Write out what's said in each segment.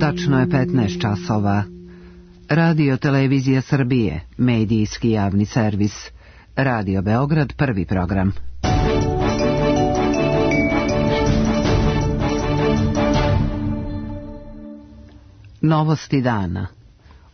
Tačno je 15 časova. Radio Televizija Srbije, medijski javni servis. Radio Beograd, prvi program. Novosti dana.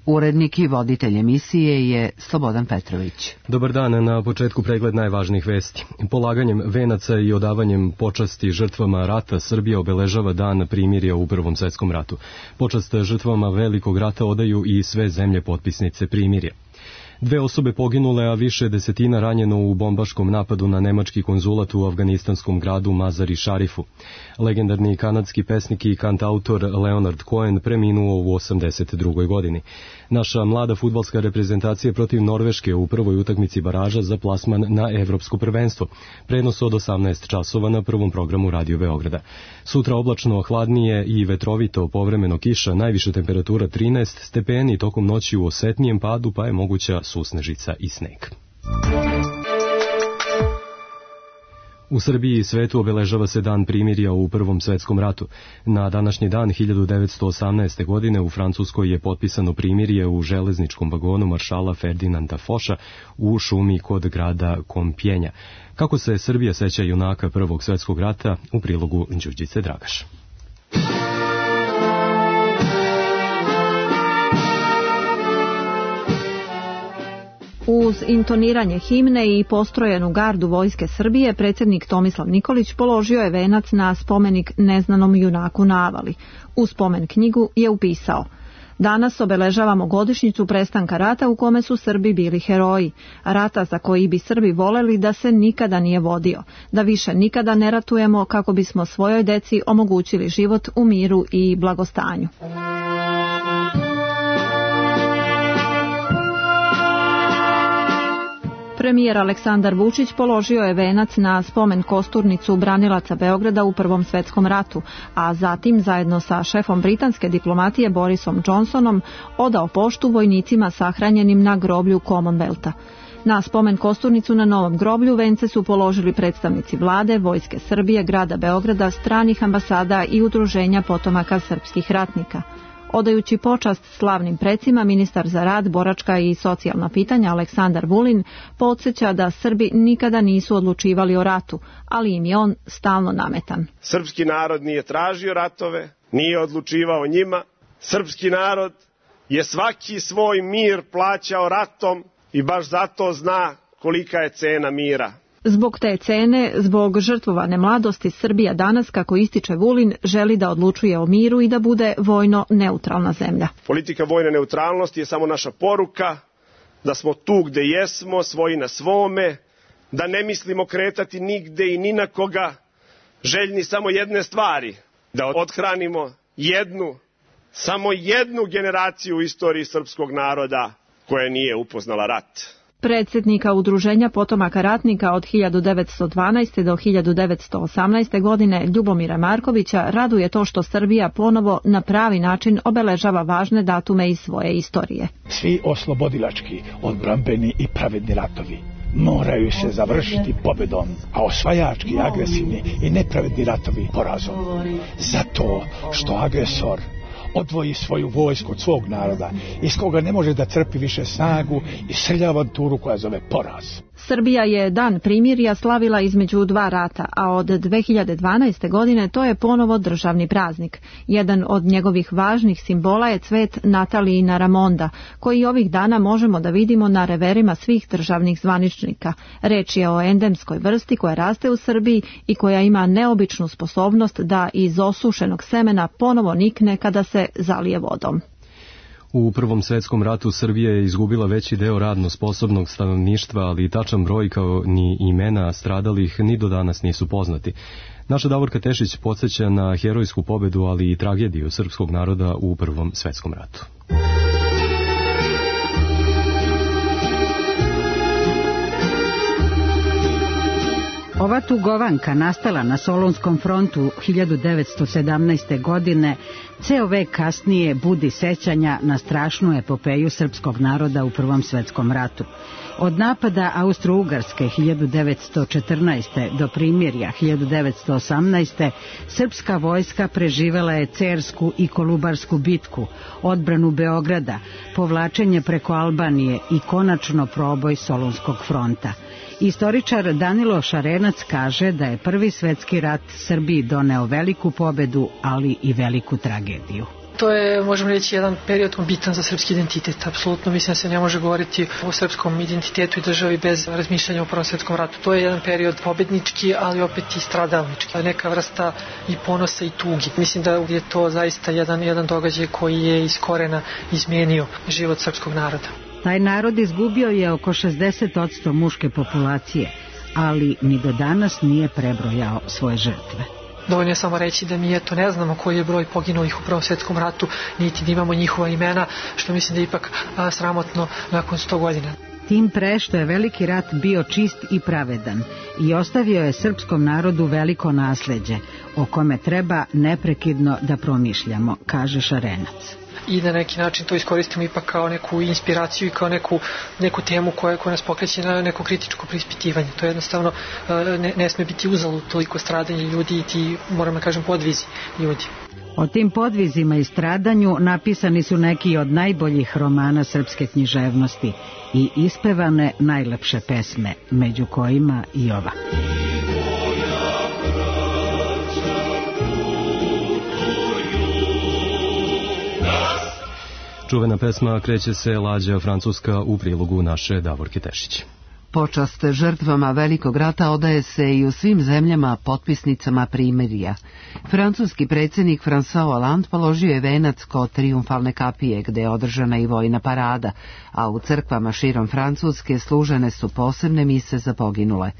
Urednik i voditelj emisije je Slobodan Petrović. Dobar dan, na početku pregled najvažnijih vesti. Polaganjem venaca i odavanjem počasti žrtvama rata Srbija obeležava dan primirja u Prvom svetskom ratu. Počast žrtvama Velikog rata odaju i sve zemlje potpisnice primirja. 2 osobe poginule, a više desetina ranjeno u bombaškom napadu na nemački konzulat u afganistanskom gradu Mazar-i Šarifu. Legendarni kanadski pesnik i kantautor Leonard Cohen preminuo u 82. godini. Naša mlada fudbalska reprezentacija protiv Norveške u prvoj utakmici baraža za plasman na evropsko prvenstvo. Prenos od 18 časova na prvom programu Radio Beograda. Sutra oblačno, hladnije i vetrovito, povremeno kiša, najviša temperatura 13 stepeni, tokom noći u osetnijem padu, pa je moguća susnežica i sneg. U Srbiji i svetu obeležava se dan primirja u Prvom svetskom ratu. Na današnji dan 1918. godine u Francuskoj je potpisano primirje u železničkom vagonu maršala Ferdinanda Foša u šumi kod grada Kompjenja. Kako se Srbija seća junaka Prvog svetskog rata, u prilogu Đurđice Dragaš. Uz intoniranje himne i postrojenu gardu Vojske Srbije, predsjednik Tomislav Nikolić položio je venac na spomenik neznanom junaku na Avali. U spomen knjigu je upisao: danas obeležavamo godišnjicu prestanka rata u kome su Srbi bili heroji, rata za koji bi Srbi voleli da se nikada nije vodio, da više nikada ne ratujemo kako bismo svojoj deci omogućili život u miru i blagostanju. Premijer Aleksandar Vučić položio je venac na spomen kosturnicu branilaca Beograda u Prvom svetskom ratu, a zatim zajedno sa šefom britanske diplomatije Borisom Johnsonom odao poštu vojnicima sahranjenim na groblju Commonwealtha. Na spomen kosturnicu na novom groblju vence su položili predstavnici vlade, Vojske Srbije, grada Beograda, stranih ambasada i udruženja potomaka srpskih ratnika. Odajući počast slavnim precima, ministar za rad, boračka i socijalna pitanja Aleksandar Vulin podsjeća da Srbi nikada nisu odlučivali o ratu, ali im je on stalno nametan. Srpski narod nije tražio ratove, nije odlučivao njima. Srpski narod je svaki svoj mir plaćao ratom i baš zato zna kolika je cena mira. Zbog te cene, zbog žrtvovane mladosti, Srbija danas, kako ističe Vulin, želi da odlučuje o miru i da bude vojno neutralna zemlja. Politika vojne neutralnosti je samo naša poruka da smo tu gde jesmo, svoji na svome, da ne mislimo kretati nigde i ni na koga, željni samo jedne stvari, da othranimo samo jednu generaciju u istoriji srpskog naroda koja nije upoznala rat. Predsjednika Udruženja potomaka ratnika od 1912. do 1918. godine Ljubomira Markovića raduje to što Srbija ponovo na pravi način obeležava važne datume iz svoje istorije. Svi oslobodilački, odbrambeni i pravedni ratovi moraju se završiti pobjedom, a osvajački, agresivni i nepravedni ratovi porazom. Zato što agresor odvoji svoju vojsku od svog naroda, iz koga ne može da crpi više snagu i srlja avanturu koja zove poraz. Srbija je dan primirja slavila između dva rata, a od 2012. godine to je ponovo državni praznik. Jedan od njegovih važnih simbola je cvet Natalijina Ramonda, koji ovih dana možemo da vidimo na reverima svih državnih zvaničnika. Reč je o endemskoj vrsti koja raste u Srbiji i koja ima neobičnu sposobnost da iz osušenog semena ponovo nikne kada se zalije vodom. U Prvom svetskom ratu Srbija je izgubila veći deo radno sposobnog stanovništva, ali tačan broj kao ni imena stradalih ni do danas nisu poznati. Naša Davorka Tešić podsjeća na herojsku pobedu, ali i tragediju srpskog naroda u Prvom svetskom ratu. Ova tugovanka, nastala na Solunskom frontu 1917. godine, ceo vek kasnije budi sećanja na strašnu epopeju srpskog naroda u Prvom svetskom ratu. Od napada Austro-Ugarske 1914. do primirja 1918. srpska vojska preživela je Cersku i Kolubarsku bitku, odbranu Beograda, povlačenje preko Albanije i konačno proboj Solunskog fronta. Istoričar Danilo Šarenac kaže da je Prvi svetski rat Srbiji doneo veliku pobedu, ali i veliku tragediju. To je, možemo reći, jedan period bitan za srpski identitet. Apsolutno mislim da se ne može govoriti o srpskom identitetu i državi bez razmišljanja o Prvom svetskom ratu. To je jedan period pobednički, ali opet i stradalnički. Neka vrsta i ponosa i tugi. Mislim da je to zaista jedan događaj koji je iz korena izmenio život srpskog naroda. Taj narod izgubio je oko 60% muške populacije, ali ni do danas nije prebrojao svoje žrtve. Dovoljno je samo reći da mi ne znamo koji je broj poginulih u Prvom svetskom ratu, niti da imamo njihova imena, što mislim da je ipak sramotno nakon 100 godina. Tim pre što je veliki rat bio čist i pravedan i ostavio je srpskom narodu veliko nasleđe, o kome treba neprekidno da promišljamo, kaže Šarenac. I na neki način to iskoristimo ipak kao neku inspiraciju i kao neku temu koja nas pokreće na neko kritičko preispitivanje. To jednostavno ne sme biti uzalud toliko stradanje ljudi i ti, moram da kažem, podvizi ljudi. O tim podvizima i stradanju napisani su neki od najboljih romana srpske književnosti i ispevane najlepše pesme, među kojima i ova. Čuvena pesma Kreće se lađa francuska u prilogu naše Davorke Tešić. Počast žrtvama Velikog rata odaje se i u svim zemljama potpisnicama primirja. Francuski predsjednik François Hollande položio je venac kod Trijumfalne kapije, gde je održana i vojna parada, a u crkvama širom Francuske služene su posebne mise za poginule.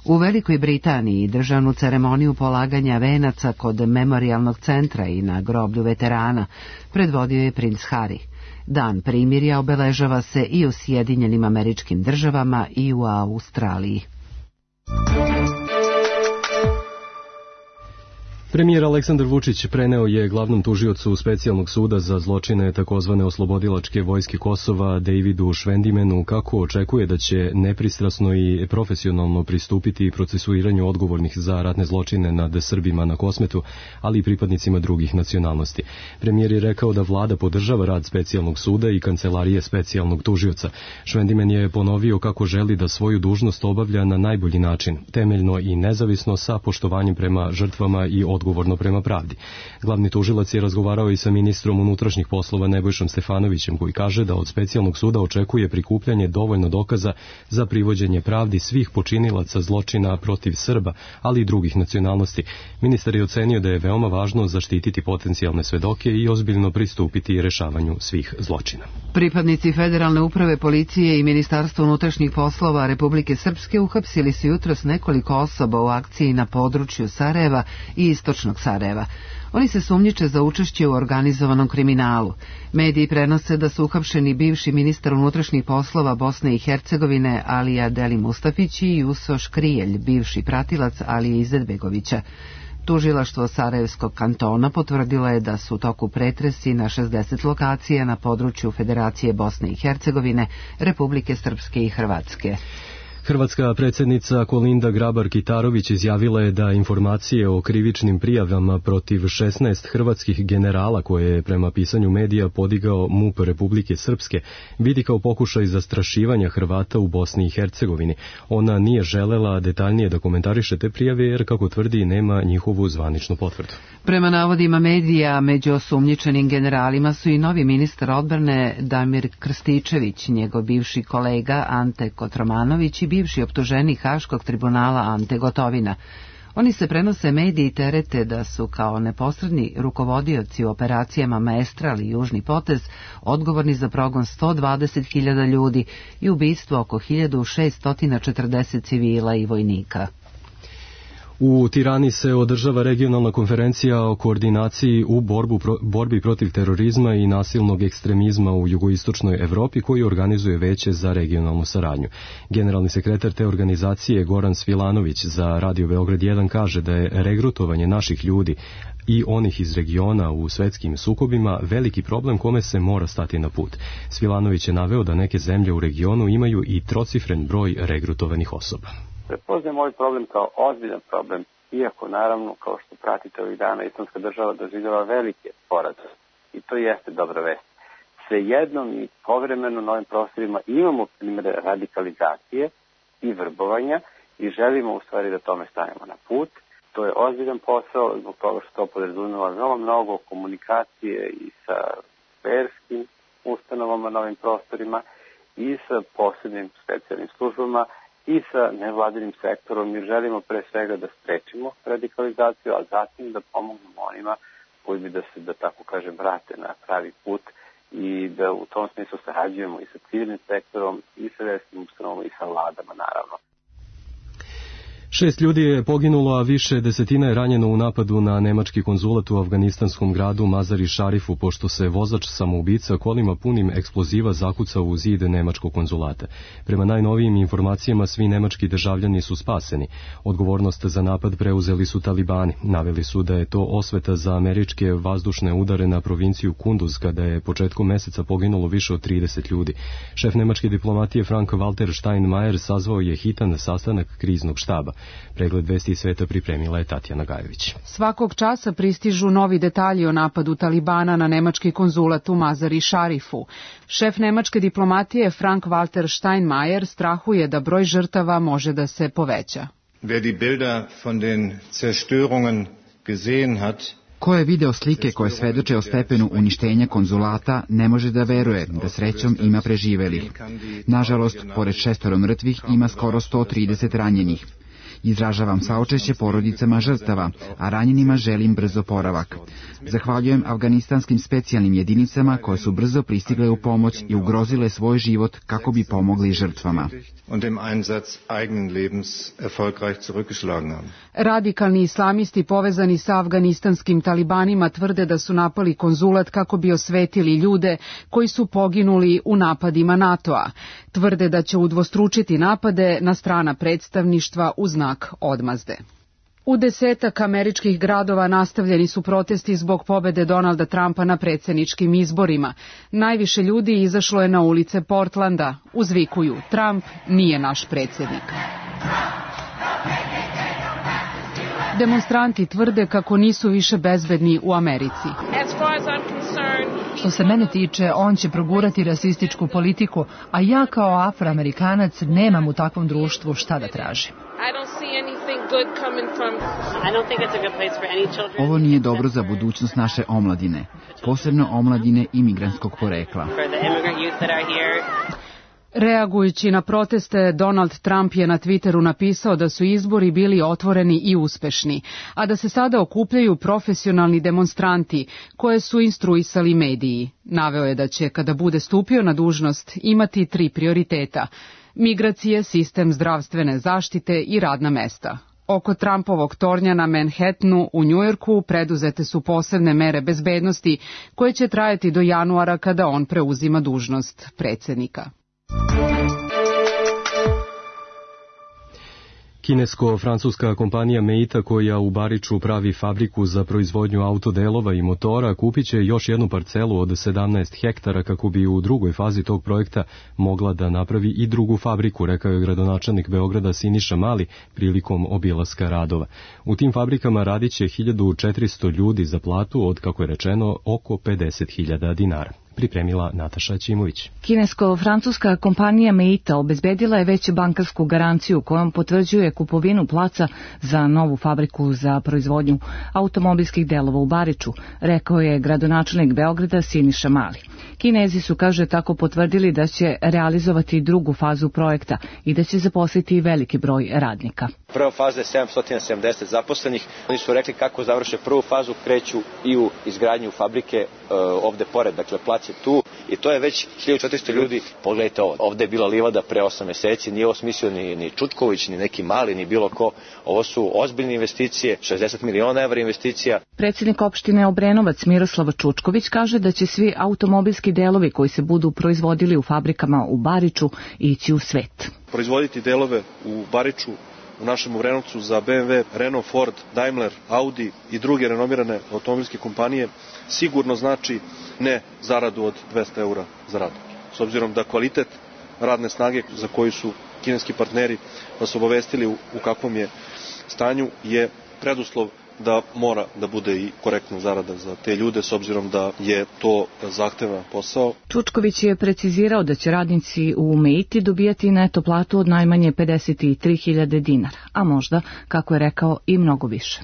U Velikoj Britaniji državnu ceremoniju polaganja venaca kod memorijalnog centra i na groblju veterana predvodio je princ Harry. Dan primirja obeležava se i u Sjedinjenim Američkim Državama i u Australiji. Premijer Aleksandar Vučić preneo je glavnom tužiocu Specijalnog suda za zločine takozvane oslobodilačke vojske Kosova Davidu Švendimenu kako očekuje da će nepristrasno i profesionalno pristupiti procesuiranju odgovornih za ratne zločine nad Srbima na Kosmetu, ali i pripadnicima drugih nacionalnosti. Premijer je rekao da vlada podržava rad Specijalnog suda i kancelarije Specijalnog tužioca. Švendimen je ponovio kako želi da svoju dužnost obavlja na najbolji način, temeljno i nezavisno sa poštovanjem prema žrtvama i odgovorno prema pravdi. Glavni tužilac je razgovarao i sa ministrom unutrašnjih poslova Nebojšom Stefanovićem, koji kaže da od Specijalnog suda očekuje prikupljanje dovoljno dokaza za privođenje pravdi svih počinilaca zločina protiv Srba, ali i drugih nacionalnosti. Ministar je ocenio da je veoma važno zaštititi potencijalne svedoke i ozbiljno pristupiti rešavanju svih zločina. Pripadnici Federalne uprave policije i Ministarstva unutrašnjih poslova Republike Srpske uhapsili su jutros nekoliko osoba u akciji na području Sarajeva i istočnog Sarajeva. Oni se sumnjiče za učešće u organizovanom kriminalu. Mediji prenose da su uhapšeni bivši ministar unutrašnjih poslova Bosne i Hercegovine Alija Deli Mustafić i Usoš Krijelj, bivši pratilac Alije Izetbegovića. Tužilaštvo Sarajevskog kantona potvrdilo je da su u toku pretresi na 60 lokacija na području Federacije Bosne i Hercegovine, Republike Srpske i Hrvatske. Hrvatska predsjednica Kolinda Grabar-Kitarović izjavila je da informacije o krivičnim prijavama protiv 16 hrvatskih generala koje je prema pisanju medija podigao MUP Republike Srpske vidi kao pokušaj zastrašivanja Hrvata u Bosni i Hercegovini. Ona nije želela detaljnije da komentariše te prijave jer, kako tvrdi, nema njihovu zvaničnu potvrdu. Prema navodima medija, među osumnjičenim generalima su i novi ministar odbrane Damir Krstičević, njegov bivši kolega Ante Kotromanović i bivši optuženik Haškog tribunala Ante Gotovina. Oni se prenose mediji i terete da su kao neposredni rukovodioci u operacijama Maestral i Južni potez odgovorni za progon 120.000 ljudi i ubistvo oko 1640 civila i vojnika. U Tirani se održava regionalna konferencija o koordinaciji u borbi protiv terorizma i nasilnog ekstremizma u jugoistočnoj Evropi koju organizuje Veće za regionalnu saradnju. Generalni sekretar te organizacije Goran Svilanović za Radio Beograd 1 kaže da je regrutovanje naših ljudi i onih iz regiona u svetskim sukobima veliki problem kome se mora stati na put. Svilanović je naveo da neke zemlje u regionu imaju i trocifren broj regrutovanih osoba. Prepoznajem ovaj problem kao ozbiljan problem, iako naravno, kao što pratite ovih dana, Islamska država doživljava velike poraze. I to jeste dobra vest. Svejedno mi povremeno na ovim prostorima imamo primere radikalizacije i vrbovanja i želimo u stvari da tome stavimo na put. To je ozbiljan posao zbog toga što to podrazumeva veoma mnogo komunikacije i sa verskim ustanovama na ovim prostorima i sa posebnim specijalnim službama i sa nevladinim sektorom. Mi želimo pre svega da sprečimo radikalizaciju, a zatim da pomognemo onima koji bi da se, da tako kažem, vrate na pravi put i da u tom smislu sarađujemo i sa civilnim sektorom i sa verskim ustanovama i sa vladama naravno. 6 ljudi je poginulo, a više desetina je ranjeno u napadu na nemački konzulat u afganistanskom gradu Mazar-i Šarifu, pošto se vozač samoubica kolima punim eksploziva zakucao u zid nemačkog konzulata. Prema najnovijim informacijama, svi nemački državljani su spaseni. Odgovornost za napad preuzeli su talibani. Naveli su da je to osveta za američke vazdušne udare na provinciju Kunduz, kada je početkom meseca poginulo više od 30 ljudi. Šef nemačke diplomatije Frank-Walter Steinmeier sazvao je hitan sastanak kriznog štaba. Pregled vesti sveta pripremila je Tatjana Gajević. Svakog časa pristižu novi detalji o napadu Talibana na nemački konzulat u Mazar-i Šarifu. Šef nemačke diplomatije Frank-Walter Steinmeier strahuje da broj žrtava može da se poveća. Wer die Bilder von den Zerstörungen gesehen hat, Ko je video slike koje svedoče o stepenu uništenja konzulata, ne može da veruje da srećom ima preživelih. Nažalost, pored 6 mrtvih ima skoro 130 ranjenih. Izražavam saučešće porodicama žrtava, a ranjenima želim brz oporavak. Zahvaljujem afganistanskim specijalnim jedinicama koje su brzo pristigle u pomoć i ugrozile svoj život kako bi pomogli žrtvama. Radikalni islamisti povezani sa afganistanskim talibanima tvrde da su napali konzulat kako bi osvetili ljude koji su poginuli u napadima NATO-a. Tvrde da će udvostručiti napade na strana predstavništva u znak odmazde. U 10 američkih gradova nastavljeni su protesti zbog pobede Donalda Trumpa na predsjedničkim izborima. Najviše ljudi izašlo je na ulice Portlanda. Uzvikuju: Trump nije naš predsjednik. Demonstranti tvrde kako nisu više bezbedni u Americi. Što se mene tiče, on će progurati rasističku politiku, a ja kao Afroamerikanac nemam u takvom društvu šta da tražim. Ovo nije dobro za budućnost naše omladine, posebno omladine imigrantskog porekla. Reagujući na proteste, Donald Trump je na Twitteru napisao da su izbori bili otvoreni i uspešni, a da se sada okupljaju profesionalni demonstranti koje su instruisali mediji. Naveo je da će, kada bude stupio na dužnost, imati 3 prioriteta: migracije, sistem zdravstvene zaštite i radna mesta. Oko Trumpovog tornja na Manhattanu u Njujorku preduzete su posebne mere bezbednosti koje će trajati do januara kada on preuzima dužnost predsjednika. Kinesko-francuska kompanija Meita, koja u Bariču pravi fabriku za proizvodnju autodelova i motora, kupit će još jednu parcelu od 17 hektara kako bi u drugoj fazi tog projekta mogla da napravi i drugu fabriku, rekao je gradonačelnik Beograda Siniša Mali prilikom obilaska radova. U tim fabrikama radit će 1400 ljudi za platu od, kako je rečeno, oko 50.000 dinara. Pripremila Nataša Ćimović. Kinesko-francuska kompanija Meita obezbedila je već bankarsku garanciju kojom potvrđuje kupovinu placa za novu fabriku za proizvodnju automobilskih delova u Bariču, rekao je gradonačelnik Beograda Siniša Mali. Kinezi su, kaže, tako potvrdili da će realizovati drugu fazu projekta i da će zaposliti veliki broj radnika. Prva faza je 770 zaposlenih. Oni su rekli kako završe prvu fazu, kreću i u izgradnju fabrike ovde pored, dakle plac je tu i to je već 1400 ljudi. Pogledajte ovo, ovde je bila livada pre 8 meseci, nije ovo smislio ni Čutković, ni neki mali, ni bilo ko. Ovo su ozbiljne investicije, 60 miliona evra investicija. Predsjednik opštine Obrenovac Miroslav Čučković kaže da će svi automobilski delovi koji se budu proizvodili u fabrikama u Bariču ići u svet. Proizvoditi delove u Bariču, u našem Obrenovcu za BMW, Renault, Ford, Daimler, Audi i druge renomirane automobilske kompanije sigurno znači ne zaradu od 200 eura za rad. S obzirom da kvalitet radne snage za koju su kineski partneri nas obavestili u kakvom je stanju je preduslov da mora da bude i korektna zarada za te ljude s obzirom da je to zahtevan posao. Čučković je precizirao da će radnici u Meiti dobijati neto platu od najmanje 53.000 dinara, a možda, kako je rekao, i mnogo više.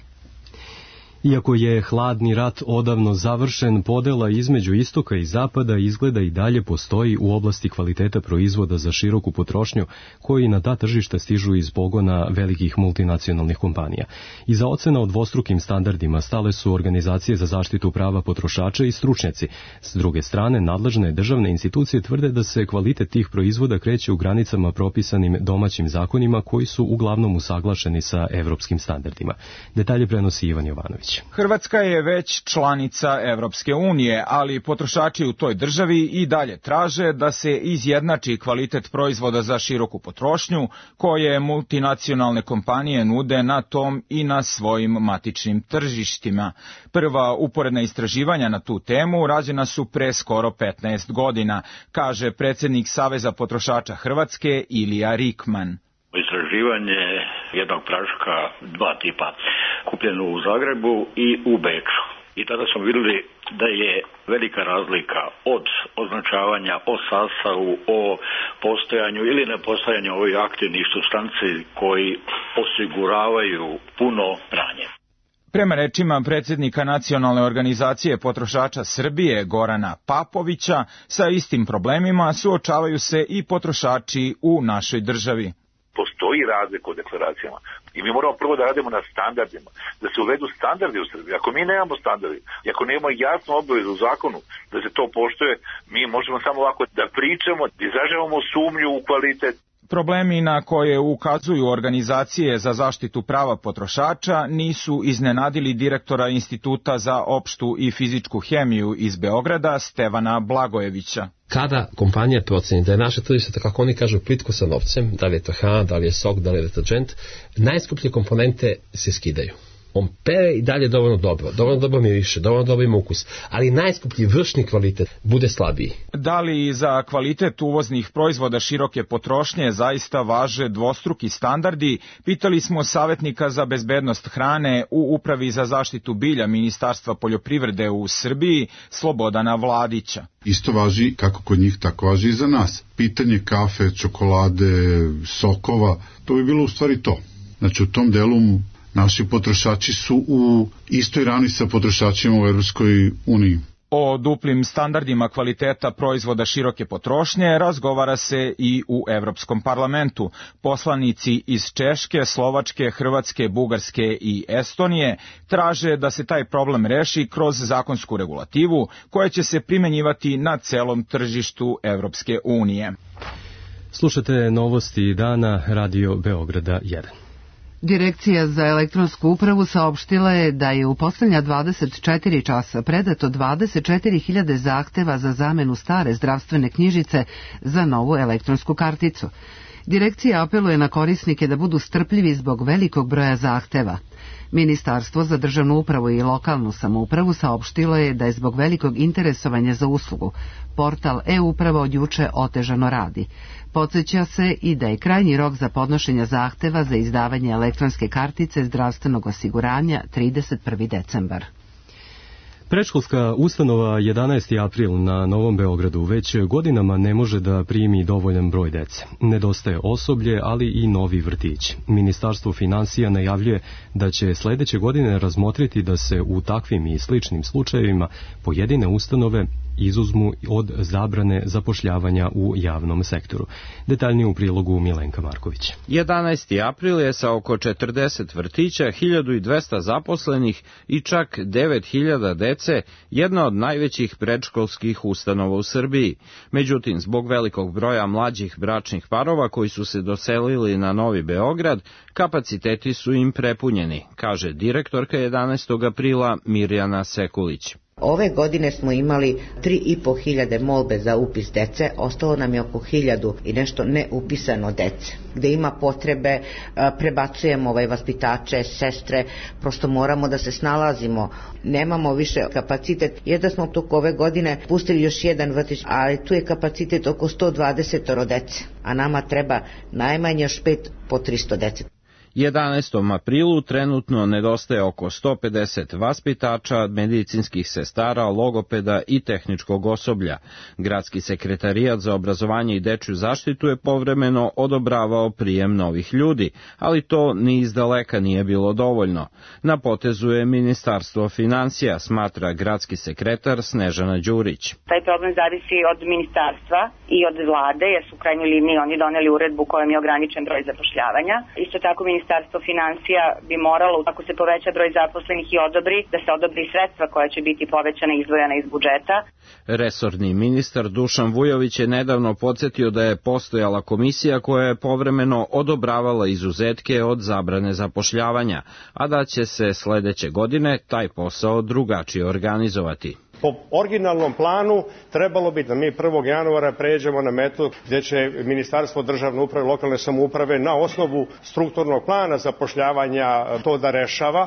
Iako je hladni rat odavno završen, podela između istoka i zapada izgleda i dalje postoji u oblasti kvaliteta proizvoda za široku potrošnju koji na ta tržišta stižu iz pogona velikih multinacionalnih kompanija. Iza ocena o dvostrukim standardima stale su organizacije za zaštitu prava potrošača i stručnjaci. S druge strane, nadležne državne institucije tvrde da se kvalitet tih proizvoda kreće u granicama propisanim domaćim zakonima koji su uglavnom usaglašeni sa evropskim standardima. Detalje prenosi Ivan Jovanović. Hrvatska je već članica Evropske unije, ali potrošači u toj državi i dalje traže da se izjednači kvalitet proizvoda za široku potrošnju koje multinacionalne kompanije nude na tom i na svojim matičnim tržištima. Prva uporedna istraživanja na tu temu rađena su pre skoro 15 godina, kaže predsjednik Saveza potrošača Hrvatske Ilija Rikman. Istraživanje jednog praška, dva tipa, kupljeno u Zagrebu i u Beču. I tada smo vidjeli da je velika razlika od označavanja o sastavu, o postojanju ili nepostojanju ovih aktivnih supstanci koji osiguravaju puno pranje. Prema rečima predsjednika Nacionalne organizacije potrošača Srbije Gorana Papovića, sa istim problemima suočavaju se i potrošači u našoj državi. Postoji razlika u deklaracijama i mi moramo prvo da radimo na standardima, da se uvedu standardi u Srbiji. Ako mi nemamo standardi, ako nemamo jasnu obavezu u zakonu da se to poštuje, mi možemo samo ovako da pričamo, da izražavamo sumnju u kvalitet. Problemi na koje ukazuju organizacije za zaštitu prava potrošača nisu iznenadili direktora Instituta za opštu i fizičku hemiju iz Beograda, Stevana Blagojevića. Kada kompanija proceni da je naše tržište, kako oni kažu, plitko sa novcem, da li je to hrana, da li je sok, da li je deterđent, najskuplje komponente se skidaju. On pere i dalje dovoljno dobro miriše, dovoljno dobro ima ukus, ali najskuplji vršni kvalitet bude slabiji. Da li za kvalitet uvoznih proizvoda široke potrošnje zaista važe dvostruki standardi, pitali smo savjetnika za bezbednost hrane u Upravi za zaštitu bilja Ministarstva poljoprivrede u Srbiji, Slobodana Vladića. Isto važi kako kod njih, tako važi i za nas. Pitanje kafe, čokolade, sokova, to bi bilo u stvari to. Znači u tom delu naši potrošači su u istoj rani sa potrošačima u Evropskoj uniji. O duplim standardima kvaliteta proizvoda široke potrošnje razgovara se i u Evropskom parlamentu. Poslanici iz Češke, Slovačke, Hrvatske, Bugarske i Estonije traže da se taj problem reši kroz zakonsku regulativu koja će se primenjivati na celom tržištu Evropske unije. Slušate novosti dana Radio Beograda 1. Direkcija za elektronsku upravu saopštila je da je u poslednja 24 časa predato 24.000 zahteva za zamenu stare zdravstvene knjižice za novu elektronsku karticu. Direkcija apeluje na korisnike da budu strpljivi zbog velikog broja zahteva. Ministarstvo za državnu upravu i lokalnu samoupravu saopštilo je da je zbog velikog interesovanja za uslugu portal e-uprava od juče otežano radi. Podsjeća se i da je krajnji rok za podnošenje zahteva za izdavanje elektronske kartice zdravstvenog osiguranja 31. decembar. Predškolska ustanova 11. april na Novom Beogradu već godinama ne može da primi dovoljan broj dece. Nedostaje osoblje, ali i novi vrtić. Ministarstvo finansija najavljuje da će sledeće godine razmotriti da se u takvim i sličnim slučajevima pojedine ustanove izuzmu od zabrane zapošljavanja u javnom sektoru. Detaljnije u prilogu Milenka Marković. 11. april je sa oko 40 vrtića, 1200 zaposlenih i čak 9000 dece jedna od najvećih predškolskih ustanova u Srbiji. Međutim, zbog velikog broja mlađih bračnih parova koji su se doselili na Novi Beograd, kapaciteti su im prepunjeni, kaže direktorka 11. aprila Mirjana Sekulić. Ove godine smo imali 3.500 molbe za upis dece, ostalo nam je oko 1000 i nešto neupisano dece. Gde ima potrebe, prebacujemo vaspitače, sestre, prosto moramo da se snalazimo. Nemamo više kapacitet, jer da smo toliko ove godine pustili još jedan vrtić, ali tu je kapacitet oko 120 dece, a nama treba najmanje još 5 po 300 dece. 11. aprilu trenutno nedostaje oko 150 vaspitača, medicinskih sestara, logopeda i tehničkog osoblja. Gradski sekretarijat za obrazovanje i dečju zaštitu je povremeno odobravao prijem novih ljudi, ali to ni izdaleka nije bilo dovoljno. Na potezu je Ministarstvo finansija, smatra gradski sekretar Snežana Đurić. Taj problem zavisi od ministarstva i od vlade, jer su u krajnjoj liniji oni doneli uredbu kojom je ograničen broj zapošljavanja. Isto tako Ministarstvo finansija bi moralo, ako se poveća broj zaposlenih i odobri, da se odobri sredstva koja će biti povećana i izdvojena iz budžeta. Resorni ministar Dušan Vujović je nedavno podsjetio da je postojala komisija koja je povremeno odobravala izuzetke od zabrane zapošljavanja, a da će se sledeće godine taj posao drugačije organizovati. Po originalnom planu trebalo bi da mi 1. januara pređemo na metod gdje će Ministarstvo državne uprave i lokalne samouprave na osnovu strukturnog plana zapošljavanja to da rešava.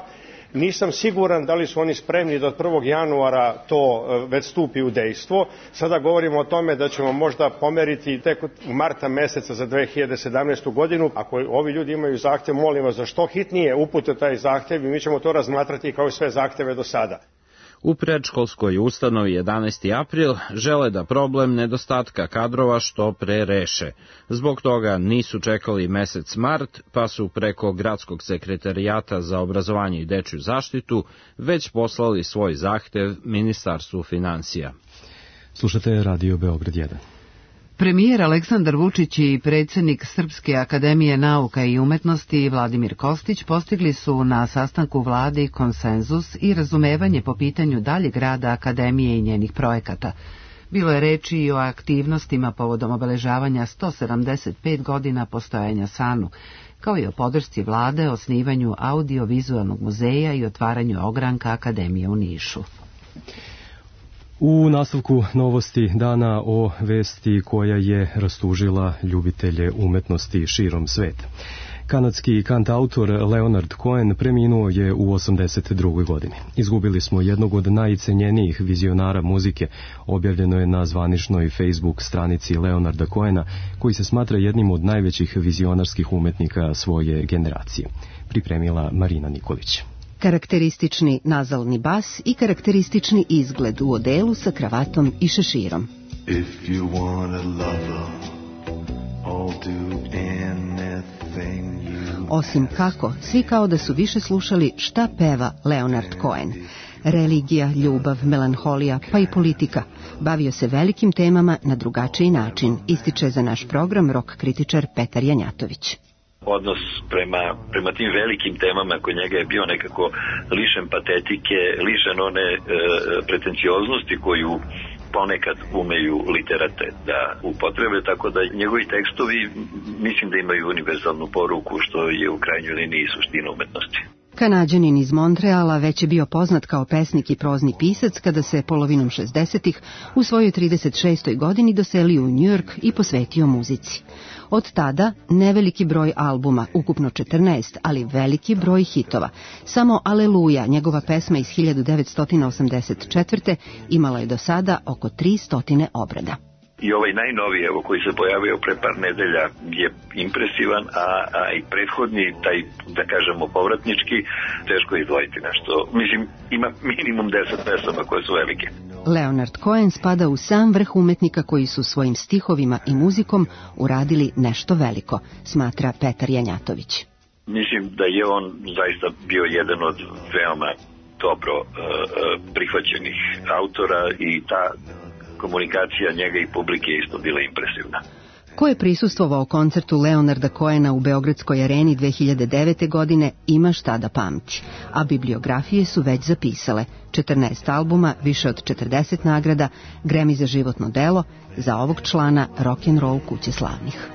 Nisam siguran da li su oni spremni da od 1. januara to već stupi u dejstvo. Sada govorimo o tome da ćemo možda pomeriti tek u marta meseca za 2017. godinu. Ako ovi ljudi imaju zahtev, molim vas za što hitnije upute taj zahtev i mi ćemo to razmatrati kao i sve zahteve do sada. U predškolskoj ustanovi 11. april žele da problem nedostatka kadrova što pre reše. Zbog toga nisu čekali mesec mart, pa su preko Gradskog sekretarijata za obrazovanje i dečju zaštitu već poslali svoj zahtev Ministarstvu finansija. Slušate Radio Beograd 1. Premijer Aleksandar Vučić i predsjednik Srpske akademije nauka i umetnosti Vladimir Kostić postigli su na sastanku vlade konsenzus i razumevanje po pitanju daljeg rada akademije i njenih projekata. Bilo je reči i o aktivnostima povodom obeležavanja 175 godina postojanja SANU, kao i o podršci vlade, osnivanju audio-vizualnog muzeja i otvaranju ogranka akademije u Nišu. U nastavku novosti dana o vesti koja je rastužila ljubitelje umetnosti širom sveta. Kanadski kantautor Leonard Cohen preminuo je u 82. godini. Izgubili smo jednog od najcenjenijih vizionara muzike, objavljeno je na zvaničnoj Facebook stranici Leonarda Cohena, koji se smatra jednim od najvećih vizionarskih umetnika svoje generacije. Pripremila Marina Nikolić. Karakteristični nazalni bas i karakteristični izgled u odelu sa kravatom i šeširom. Osim kako, svi kao da su više slušali šta peva Leonard Cohen. Religija, ljubav, melanholija, pa i politika. Bavio se velikim temama na drugačiji način, ističe za naš program rock kritičar Petar Janjatović. Odnos prema tim velikim temama kod njega je bio nekako lišen patetike, lišen one pretencioznosti koju ponekad umeju literate da upotrebe, tako da njegovi tekstovi mislim da imaju univerzalnu poruku, što je u krajnjoj liniji suština umetnosti. Kanađanin iz Montreala već je bio poznat kao pesnik i prozni pisac kada se polovinom 60-ih u svojoj 36. godini doselio u Njujork i posvetio muzici. Od tada neveliki broj albuma, ukupno 14, ali veliki broj hitova. Samo Aleluja, njegova pesma iz 1984. imala je do sada oko 300 obrada. I ovaj najnoviji, evo, koji se pojavio pre par nedelja, je impresivan, a i prethodni, taj, da kažemo, povratnički, teško je izdvojiti nešto. Mislim, ima minimum 10 pesama koje su velike. Leonard Cohen spada u sam vrh umetnika koji su svojim stihovima i muzikom uradili nešto veliko, smatra Petar Janjatović. Mislim da je on zaista bio jedan od veoma dobro prihvaćenih autora i ta komunikacija njega i publike isto bila impresivna. Ko je prisustvovao koncertu Leonarda Cohena u Beogradskoj areni 2009. godine ima šta da pamti, a bibliografije su već zapisale 14 albuma, više od 40 nagrada, Grammy za životno delo, za ovog člana rock'n'roll kuće slavnih.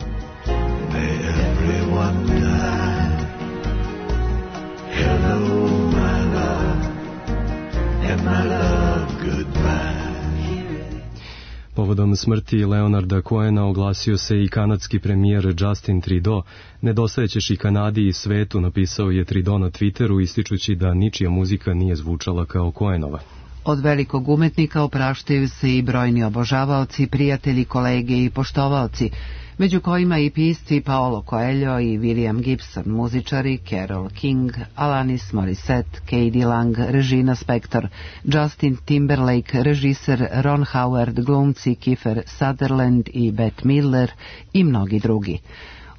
Povodom smrti Leonarda Cohena oglasio se i kanadski premijer Justin Trudeau. Nedostajećeš i Kanadi i svetu, napisao je Trudeau na Twitteru, ističući da ničija muzika nije zvučala kao Cohenova. Od velikog umetnika opraštaju se i brojni obožavaoci, prijatelji, kolege i poštovaoci, među kojima i pisci Paolo Coelho i William Gibson, muzičari Carole King, Alanis Morissette, K.D. Lang, Regina Spektor, Justin Timberlake, režiser Ron Howard, glumci Kiefer Sutherland i Bette Midler i mnogi drugi.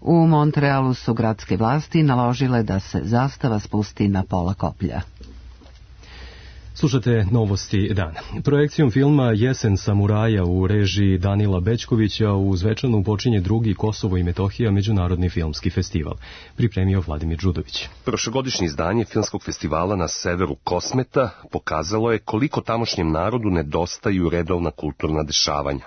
U Montrealu su gradske vlasti naložile da se zastava spusti na pola koplja. Slušate novosti dana. Projekcijom filma Jesen samuraja u režiji Danila Bećkovića u Zvečanu počinje drugi Kosovo i Metohija međunarodni filmski festival. Pripremio Vladimir Đudović. Prošlogodišnje izdanje filmskog festivala na severu Kosmeta pokazalo je koliko tamošnjem narodu nedostaju redovna kulturna dešavanja.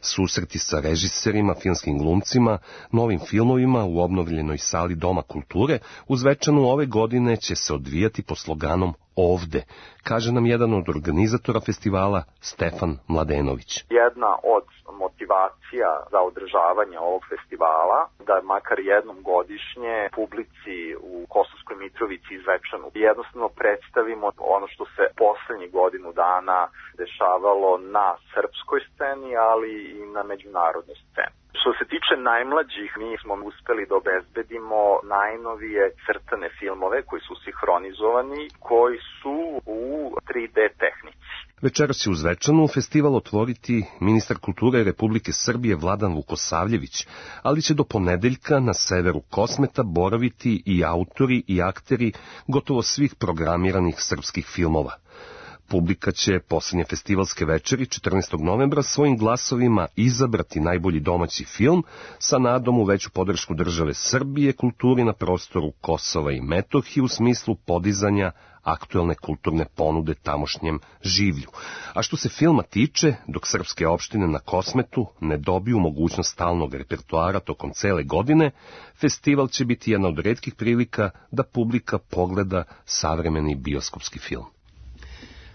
Susreti sa režiserima, filmskim glumcima, novim filmovima u obnovljenoj sali Doma kulture u Zvečanu ove godine će se odvijati po sloganom Ovde, kaže nam jedan od organizatora festivala Stefan Mladenović. Jedna od motivacija za održavanje ovog festivala da makar jednom godišnje publici u Kosovskoj Mitrovici i Zvečanu jednostavno predstavimo ono što se poslednjih godinu dana dešavalo na srpskoj sceni, ali i na međunarodnoj sceni. Što se tiče najmlađih, mi smo uspeli da obezbedimo najnovije crtane filmove koji su sinhronizovani, koji su u 3D tehnici. Večeras će u Zvečanu festival otvoriti ministar kulture Republike Srbije Vladan Vukosavljević, ali će do ponedeljka na severu Kosmeta boraviti i autori i akteri gotovo svih programiranih srpskih filmova. Publika će poslednje festivalske večeri 14. novembra svojim glasovima izabrati najbolji domaći film sa nadom u veću podršku države Srbije kulturi na prostoru Kosova i Metohije u smislu podizanja aktuelne kulturne ponude tamošnjem življu. A što se filma tiče, dok srpske opštine na Kosmetu ne dobiju mogućnost stalnog repertoara tokom cele godine, festival će biti jedna od retkih prilika da publika pogleda savremeni bioskopski film.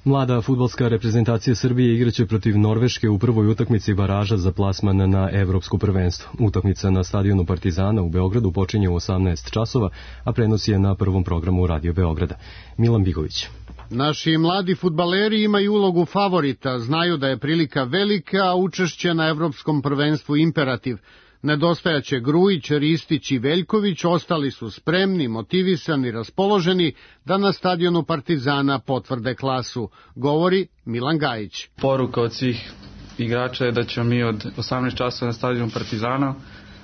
Mlada fudbalska reprezentacija Srbije igraće protiv Norveške u prvoj utakmici baraža za plasman na evropsko prvenstvo. Utakmica na stadionu Partizana u Beogradu počinje u 18 časova, a prenos je na prvom programu Radio Beograda. Milan Bigović. Naši mladi fudbaleri imaju ulogu favorita, znaju da je prilika velika, a učešće na evropskom prvenstvu imperativ. Nedostajaće Grujić, Ristić i Veljković, ostali su spremni, motivisani, raspoloženi da na stadionu Partizana potvrde klasu, govori Milan Gajić. Poruka od svih igrača je da ćemo mi od 18 časova na stadionu Partizana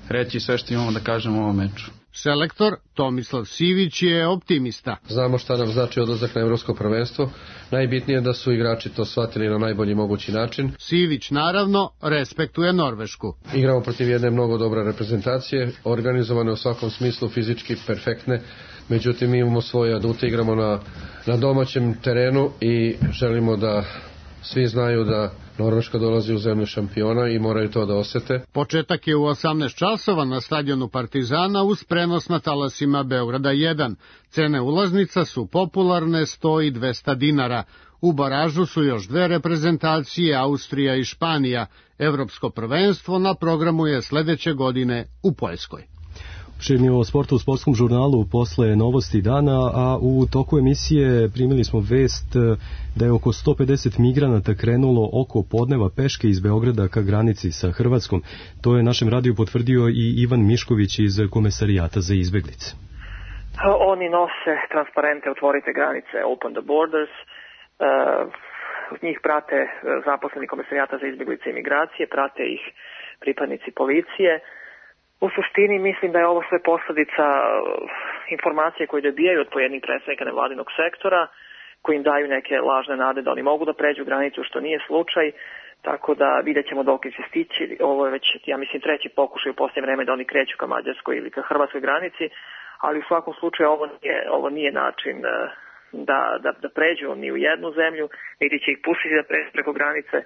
reći sve što imamo da kažemo u ovom meču. Selektor Tomislav Sivić je optimista. Znamo šta nam znači odlazak na evropsko prvenstvo. Najbitnije je da su igrači to shvatili na najbolji mogući način. Sivić naravno respektuje Norvešku. Igramo protiv jedne mnogo dobre reprezentacije, organizovane u svakom smislu, fizički perfektne. Međutim, mi imamo svoje adute, igramo na domaćem terenu i želimo da svi znaju da Norveška dolazi u zemlju šampiona i moraju to da osete. Početak je u 18 časova na stadionu Partizana uz prenos na talasima Beograda 1. Cene ulaznica su popularne, 100 i 200 dinara. U baražu su još dve reprezentacije, Austrija i Španija. Evropsko prvenstvo na programu je sledeće godine u Poljskoj. Širni o sportu u sportskom žurnalu posle novosti dana, a u toku emisije primili smo vest da je oko 150 migranata krenulo oko podneva peške iz Beograda ka granici sa Hrvatskom. To je našem radiju potvrdio i Ivan Mišković iz Komesarijata za izbeglice. Oni nose transparente Otvorite granice, Open the Borders. Njih prate zaposleni Komesarijata za izbeglice i migracije, prate ih pripadnici policije. U suštini mislim da je ovo sve posledica informacije koje dobijaju od pojedinih predstavnika nevladinog sektora koji im daju neke lažne nade da oni mogu da pređu granicu, što nije slučaj. Tako da vidjet ćemo dok će stići. Ovo je već, ja mislim, treći pokušaj u posljednje vreme da oni kreću ka mađarskoj ili ka hrvatskoj granici, ali u svakom slučaju ovo nije način da pređu ni u jednu zemlju, niti će ih pustiti da pređu preko granice.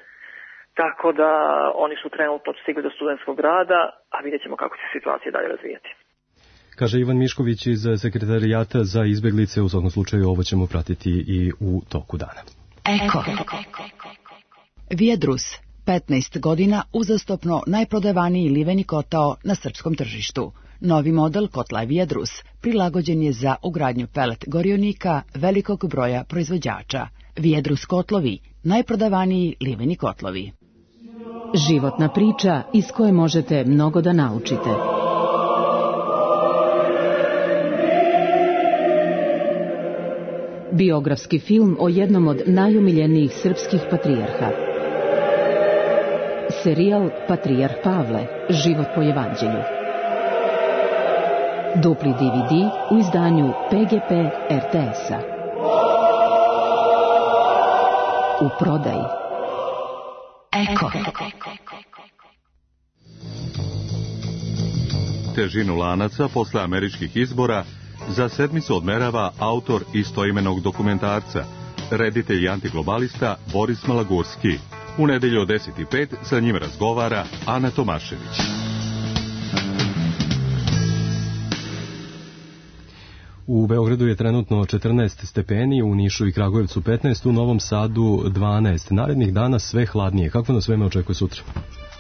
Tako da oni su trenutno stigli do studentskog grada, a vidjet ćemo kako će situacija dalje razvijati. Kaže Ivan Mišković iz Sekretarijata za izbeglice. U svakom slučaju ovo ćemo pratiti i u toku dana. Eko. Viadrus, 15 godina uzastopno najprodavaniji liveni kotao na srpskom tržištu. Novi model kotla Viadrus prilagođen je za ugradnju pelet gorionika velikog broja proizvođača. Viadrus kotlovi, najprodavaniji liveni kotlovi. Životna priča iz koje možete mnogo da naučite. Biografski film o jednom od najumiljenijih srpskih patrijarha. Serijal Patrijarh Pavle, život po evanđelju. Dupli DVD u izdanju PGP RTS-a. U prodaji. Eko. Težinu lanaca posle američkih izbora za sedmicu odmerava autor istoimenog dokumentarca, reditelj i antiglobalista Boris Malagurski. U nedelju od 10:05 sa njim razgovara Ana Tomašević. U Beogradu je trenutno 14 stepeni, u Nišu i Kragujevcu 15, u Novom Sadu 12. Narednih dana sve hladnije. Kako nas vreme očekuje sutra?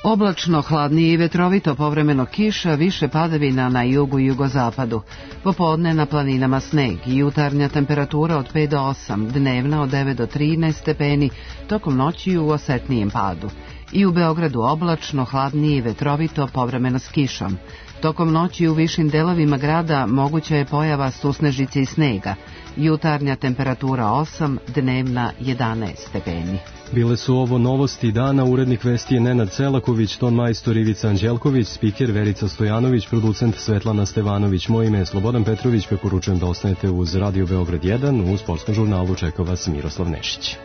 Oblačno, hladnije i vetrovito, povremeno kiša, više padavina na jugu i jugozapadu. Popodne na planinama sneg, jutarnja temperatura od 5 do 8, dnevna od 9 do 13 stepeni, tokom noći u osetnijem padu. I u Beogradu oblačno, hladnije i vetrovito, povremeno s kišom. Tokom noći u višim delovima grada moguća je pojava susnežice i snega. Jutarnja temperatura 8, dnevna 11 stepeni. Bile su ovo novosti dana. Urednik vesti je Nenad Celaković, ton majstor Ivica Anđelković, spiker Verica Stojanović, producent Svetlana Stevanović. Moje ime je Slobodan Petrović, preporučujem da ostanete uz Radio Beograd 1. U sportskom žurnalu čeka vas Miroslav Nešić.